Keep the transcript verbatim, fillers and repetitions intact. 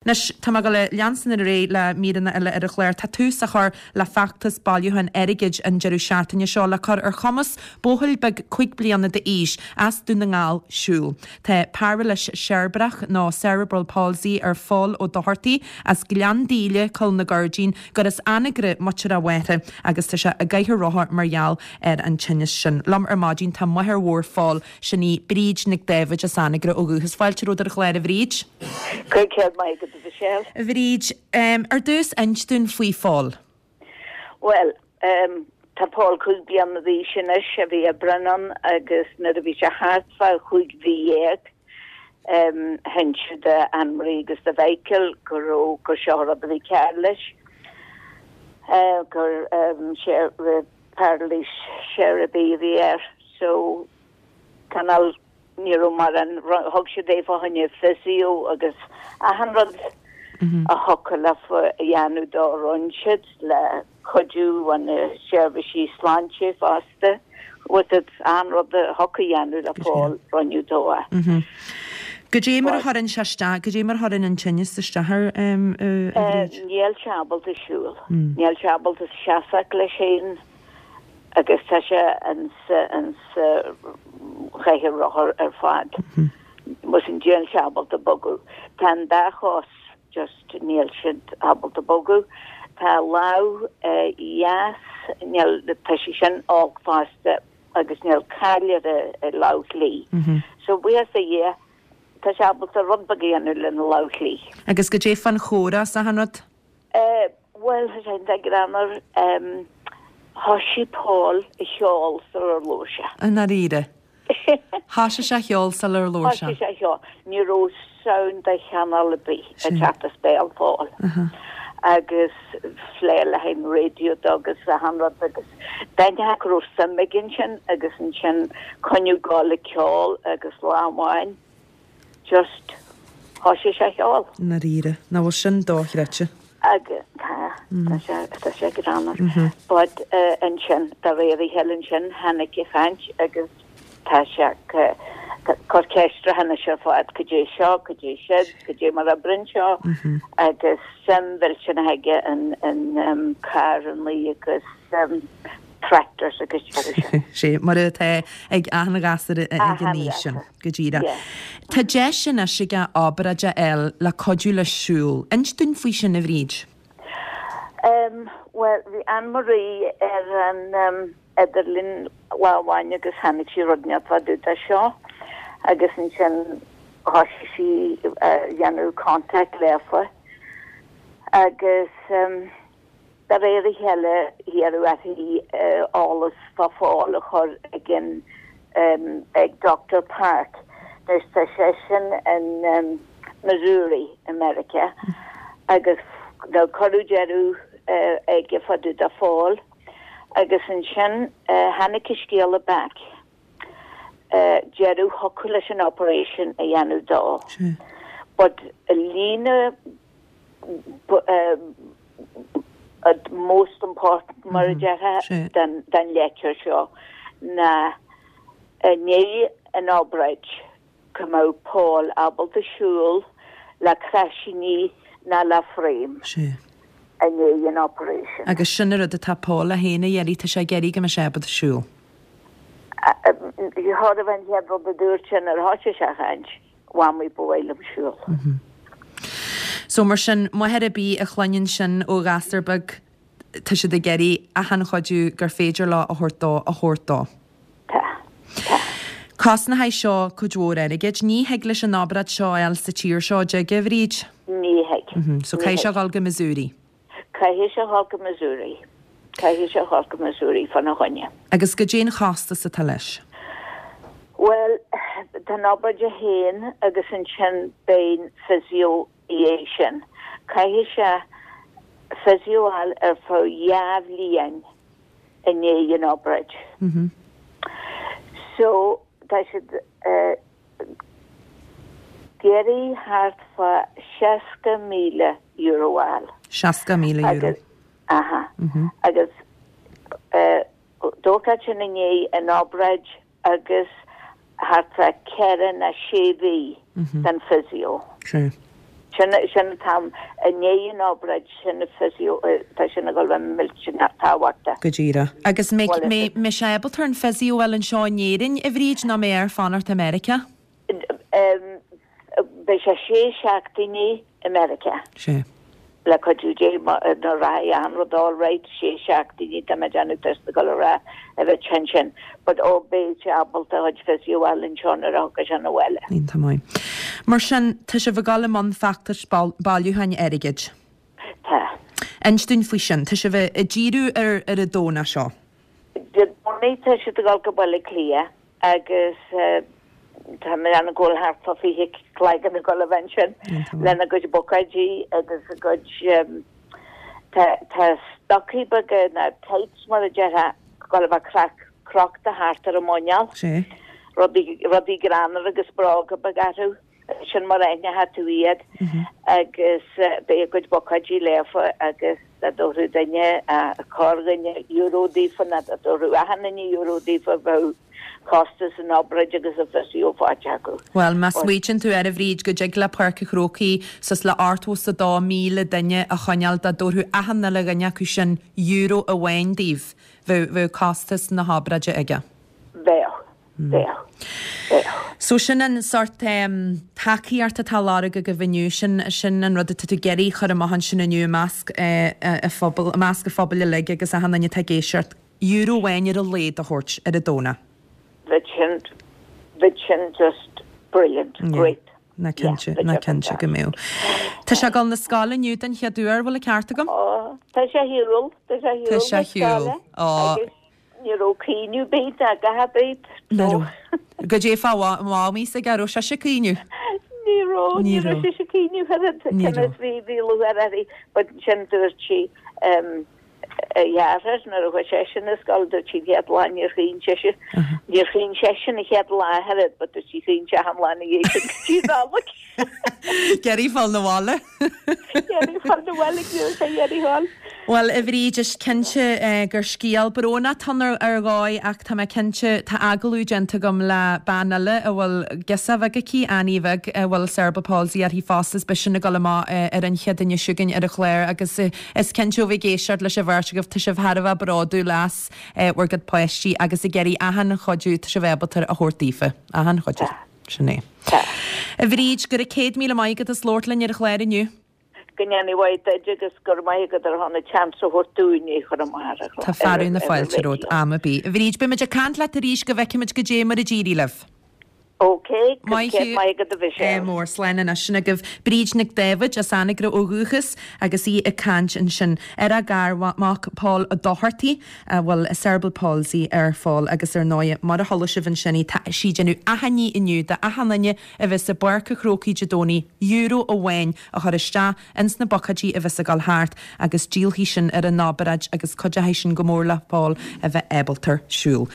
Anois tá mé ag dul a leanstan ar aghaidh le míreanna eile ar an chlár. Tá tús á chur le feachtas bailiúcháin airgid an deireadh seachtaine seo le cur ar chumas buachaill beag cúig bliana d'aois as Dún na nGall siúl. Tá pairilis cheirbreach nó cerebral palsy ar Phól Ó Dochartaigh as Gleann Díle, Coill na Gairdín, gur as Anagaire muintir a mháthar agus tá sé i gcathaoir rotha mar gheall ar an tinneas sin. Liom ar maidin tá máthair mhór Phóil, sin í Bríd Nic Dáibhid as Anagaire ó dhúchas. Fáilte romhat ar an chlár a Bhríd. Go raibh maith agat a Mhichelle. A Bhríd, ar dtús inis dúinn faoi Phól. Bhuel, tá Pól cúig bliana d'aois anois, a bhí ag breith ann agus nuair a bhí sé thart fá chúig mhí dhéag, hinseadh do Anne-Marie agus do Mhichael go raibh, gur seo an rud a bhí cearr leis, gur pairilis cheirbreach a bhí air. So, cineál ní raibh mórán, thug siad é fá choinne physio agus achan rud a thiocfadh leofa a dhéanamh dó rinne siad le cuidiú ó na seirbhísí sláinte fosta with it achan rud a thiocfadh a dhéanamh le Paul rinneadh dó é. Goidé mar a chuireann sé isteach, goidé mar a chuireann an tinneas isteach air, a Bhríd? Níl sé ábalta siúl. Níl sé ábalta seasamh leis féin. Agus tá sé insa chathaoir rothar ar fad. Agus níl sé ábalta bogadh. Tá an dá chos just níl siad ábalta bogadh. Tá a lámh dheas, níl, tá sí sin olc fosta agus níl cáil ar a lámh chlí. So buíochas do Dhia, tá sé ábalta rud beag a dhéanamh lena lámh chlí. Agus goidé fán chomhrá is achan rud? Bhuel, tá sé iontach greannmhar. Thoisigh Paul a cheol sular labhair sé. I ndáiríre? Thoisigh sé a cheol sular labhair sé? Thoisigh sé a cheol. Ní raibh sound de chineál ar bith ag teacht as béal Phóil. Agus phléigh le haghaidh an raidió dó agus achan rud agus d'aithneofá go raibh suim aige ansin agus ansin coinneadh go le ceol agus lá amháin just thoisigh sé a cheol. I ndáiríre? Nach bhfuil sin dochreidte? Agus tá, tá sé, tá sé greannmhar. But ansin, de réir a chéile ansin, tháinig an chaint agus tá sé ag cur ceisteanna anois ar fad, cad é seo, cad é siúd, cad é mar a oibríonn seo, agus suim mhillteanach aige in, in carrannaí agus tractors agus rudaí sin. Sé mar atá ag achan ghasúr ag an aois sin, go díreach. Tá deis anois aige obráid a fháil le cuidiú leis siúl. Inis dúinn faoi sin, a Bhríd. Bhuel, bhí Anne Marie ar an idirlíon lá amháin agus tháinig sí rud inteacht fá dtaobh de seo agus ansin thoisigh sí a dhéanamh contact leofa agus De réir a chéile iarradh uirthi eolas fá Phól a chur ag an ag Doctor Park. Anois tá seisean in Missouri i Meiriceá agus now cuireadh deireadh aige fá dtaobh de Phól agus ansin tháinig an scéala back deireadh thiocfadh leis an operation a dhéanamh dó but líne most important mar a déarfá den leitir seo ná i ndiaidh an obráid go mbeadh Paul ábalta siúl le croisíní ná le frame i ndiaidh an operation. Agus sin an rud atá Paul é féin a iarraidh, tá sé ag iarraidh go mbeadh sé ábalta siúl. Chóir a bheith an chéad rud a dúirt sé nuair a thoisigh sé a chaint. Mhamaí, ba mhaith liom siúl. So mar sin, máthair ar bith a chluineann sin ó ghasúr beag, tá siad ag iarraidh achan chuidiú gur féidir leo a thabhairt dó, a thabhairt dó. Tá. Tá. Cosnóidh seo cuid mhór airgid. Ní thig leis an obráid seo a fháil sa tír seo, dtig, a Bhríd? Ní thig. So caithfidh sé a dhul go Missouri. Caithfidh sé a dhul go Missouri. Caithfidh sé a dhul go Missouri fána choinne. Agus goidé an chostas atá leis? Bhuel, tá an obráid é féin agus ansin beidh an physio i dhiaidh sin. Caithfidh sé physio a fháil ar feadh dhá bhliain i ndiaidh an obráid. So, tá siad ag iarraidh thart fá seasca míle euro a fháil. Seasca míle euro. Aha. Agus dócha sin i ndiaidh an obráid agus thart fá ceithre nó sé mhí den physio. Sea. Sin sin an t-am i ndiaidh an obráid sin physio tá sin ag dul a bheith millteanach tábhachtach. Go díreach. Agus mbeidh mbeidh sé ábalta an physio a fháil anseo in Éirinn, a Bhríd, nó mbeidh air fanacht i Meiriceá? Beidh sé sé seachtainí i Meiriceá. Sé. Le cuidiú Dé nuair a rachaidh achan rud all right, sé seachtainí tá mé ag déanamh tá sé ag dul a rá a bheith tinn sin. But ó beidh sé ábalta a chuid physio a fháil anseo nuair a thiocfaidh sé 'na bhaile. Iontach maith. Mar sin, tá sibh ag dul i mbun feachtais bailiúcháin airgid. Tá. Inis dúinn faoi sin. Tá sibh ag díriú ar ar an Domhnach seo. Dé Domhnaigh tá siad ag dul go Baile Átha Cliath agus tá mé ag déanamh go bhfuil thart fá fiche cloigeann ag dul a bheith ansin lena gcuid buicéidí agus a gcuid tá tá stocaí beaga nó tights mar a déarfá ag dul a bheith crochta thart ar a muineál. Sé. Rudaí rudaí greannmhar agus bróga beaga orthu. Sin mar a aithneoidh tú iad agus beidh a gcuid buicéidí leofa agus dá dtabharfadh duine corrdhuine euro daofa nó dá dtabharfadh achan duine euro daofa bheadh costas an obráid agus an physio faighte acu. Bhuel, má smaoitíonn tú air, a Bhríd, go dtig le Páirc an Chrócaigh suas le ochtó is a dó míle duine a choinneáil, dá dtabharfadh achan uile dhuine acu sin euro amháin daoibh, bheadh, bheadh costas na hobráide aige. Bheadh. Bheadh. Bheadh. So sin an sort tacaíocht atá á lorg agaibh inniu, sin, sin an rud atá tú ag iarraidh a chur amach ansin inniu i measc an phobail, i measc an phobail uilig agus achan duine atá ag éisteacht, euro amháin ar a laghad a thabhairt ar an Domhnach. Bheadh sin, bheadh sin just brilliant, great. Ná cinnte, ná cinnte go mbeadh. Tá sé ag dul na scoile inniu den chéad uair, bhfuil an ceart agam? Ó, tá sé ar shiúl, tá sé ar shiúl na scoile. Ó. Agus ní raibh caoineadh ar bith ná a dhath ar bith. Ní raibh. Goidé fá mhamaí s'aige, raibh sise ag caoineadh? Ní raibh, ní raibh sise ag caoineadh oiread, cionn is bhí, bhí lúcháir uirthi, but ansin dúirt sí, a dheartháir nuair a chuaigh seisean ar scoil, dúirt sí an chéad lá níor chaoin sise, níor chaoin seisean an chéad lá ach oiread, but dúirt sí chaoin sé achan lá ina dhiaidh sin go dtí an Nollaig. Ag iarraidh fáil 'na bhaile. Ag iarraidh fáil 'na bhaile, ní raibh sé ag iarraidh fáil. Bhuel, a Bhríd, is cinnte gur scéal brónach atá ann ar dhóigh ach tá mé cinnte, tá agallamh déanta agam le bean eile a bhfuil girseach bheag aici, Annie bheag, a bhfuil cerebral palsy uirthi fosta, is beidh sin ag dul amach ar an chéad duine chugainn ar an chlár agus is cinnte ó bheith ag éisteacht leis an bheirt agaibh, tá sibh thar a bheith bródúil as bhur gcuid páistí agus ag iarraidh achan chuidiú atá sibh ábalta a thabhairt daofa. Achan chuidiú. Sin é. A Bhríd, go raibh céad míle maith agat as labhairt linn ar an chlár inniu. Go ndéana Dia duit agus go raibh maith agat ar shon an chance a thabhairt dúinn é a chur amach ar an chlár. Tá fearadh na fáilte romhat am ar bith. A Bhríd, beimid ag caint leat arís go bhfeicfimid goidé mar a d'éirigh libh. Ok, go Maith raibh thú. maith agat a Mhichelle. Ádh mór, slán anois. Sin agaibh Bríd Nic Dáibhid as Anagaire ó dhúchas agus í ag caint ansin ar a garmhac Pól Ó Dochartaigh a bhfuil cerebral palsy air Phól agus ar ndóigh mar a chuala sibh ansin í tá sí ag déanamh achainí inniu do achan duine a bheas i bPáirc an Chrócaigh Dé Domhnaigh euro amháin a chur isteach ins na buicéidí a bheas ag dul thart agus díolfaidh sin ar an obráid agus cuideoidh sin go mór le Pól a bheith ábalta siúl.